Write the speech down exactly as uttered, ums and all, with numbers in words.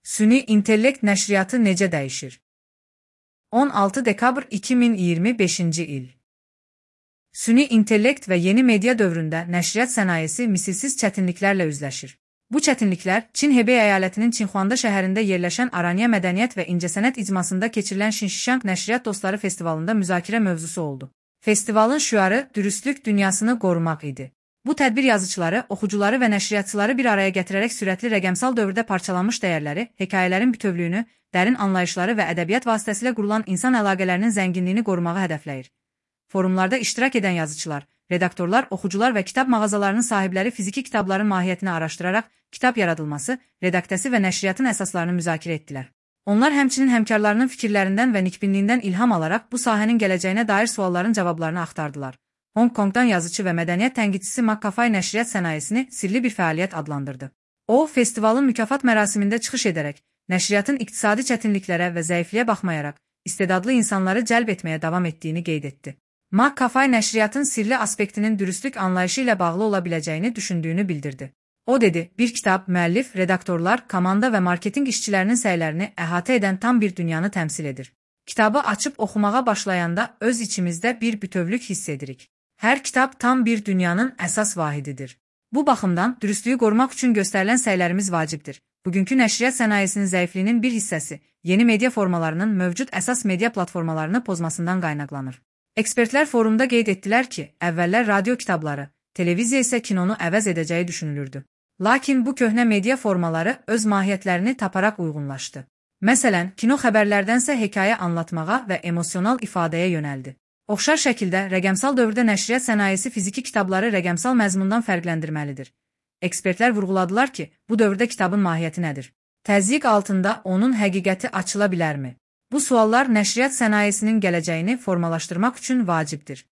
Süni intellekt nəşriyyatı necə dəyişir? on altı dekabr iki min iyirmi beşinci il. Süni intellekt və yeni media dövründə nəşriyyat sənayesi misilsiz çətinliklərlə üzləşir. Bu çətinliklər Çin Hebey əyalətinin Çinxuanda şəhərində yerləşən Aranya Mədəniyyət və İncəsənət icmasında keçirilən Şinşişang Nəşriyyat Dostları Festivalında müzakirə mövzusu oldu. Festivalın şüarı dürüstlük dünyasını qorumaq idi. Bu tədbir yazıçıları, oxucuları və nəşriyyatçıları bir araya gətirərək sürətli rəqəmsal dövrdə parçalanmış dəyərləri, hekayələrin bütövlüyünü, dərin anlayışları və ədəbiyyat vasitəsilə qurulan insan əlaqələrinin zənginliyini qorumağı hədəfləyir. Forumlarda iştirak edən yazıçılar, redaktorlar, oxucular və kitab mağazalarının sahibləri fiziki kitabların mahiyyətini araşdıraraq kitab yaradılması, redaktəsi və nəşriyyatın əsaslarını müzakirə etdilər. Onlar həmçinin həmkarlarının fikirlərindən və nikbinliyindən ilham alaraq bu sahənin gələcəyinə dair sualların cavablarını axtardılar. Hong Kongdan yazıcı və mədəniyyət tənqidçisi McAfee nəşriyyat sənayesini sirli bir fəaliyyət adlandırdı. O, festivalın mükafat mərasimində çıxış edərək, nəşriyyatın iqtisadi çətinliklərə və zəifliyə baxmayaraq, istedadlı insanları cəlb etməyə davam etdiyini qeyd etdi. McAfee nəşriyyatın sirli aspektinin dürüstlük anlayışı ilə bağlı ola biləcəyini düşündüyünü bildirdi. O dedi, bir kitab, müəllif, redaktorlar, komanda və marketinq işçilərinin səylərini əhatə edən tam bir dünyanı təmsil edir. Kitabı açıb oxumağa başlayanda öz içimizdə bir bütövlük hiss edirik. Hər kitab tam bir dünyanın əsas vahididir. Bu baxımdan dürüstlüyü qorumaq üçün göstərilən səylərimiz vacibdir. Bugünkü nəşriyyat sənayesinin zəifliyinin bir hissəsi yeni media formalarının mövcud əsas media platformalarını pozmasından qaynaqlanır. Ekspertlər forumda qeyd etdilər ki, əvvəllər radio kitabları, televiziya isə kinonu əvəz edəcəyi düşünülürdü. Lakin bu köhnə media formaları öz mahiyyətlərini taparaq uyğunlaşdı. Məsələn, kino xəbərlərdənsə hekayə anlatmağa və emosional ifadəyə yönəldi. Oxşar şəkildə rəqəmsal dövrdə nəşriyyat sənayesi fiziki kitabları rəqəmsal məzmundan fərqləndirməlidir. Ekspertlər vurğuladılar ki, bu dövrdə kitabın mahiyyəti nədir? Təzyiq altında onun həqiqəti açıla bilərmi? Bu suallar nəşriyyat sənayesinin gələcəyini formalaşdırmaq üçün vacibdir.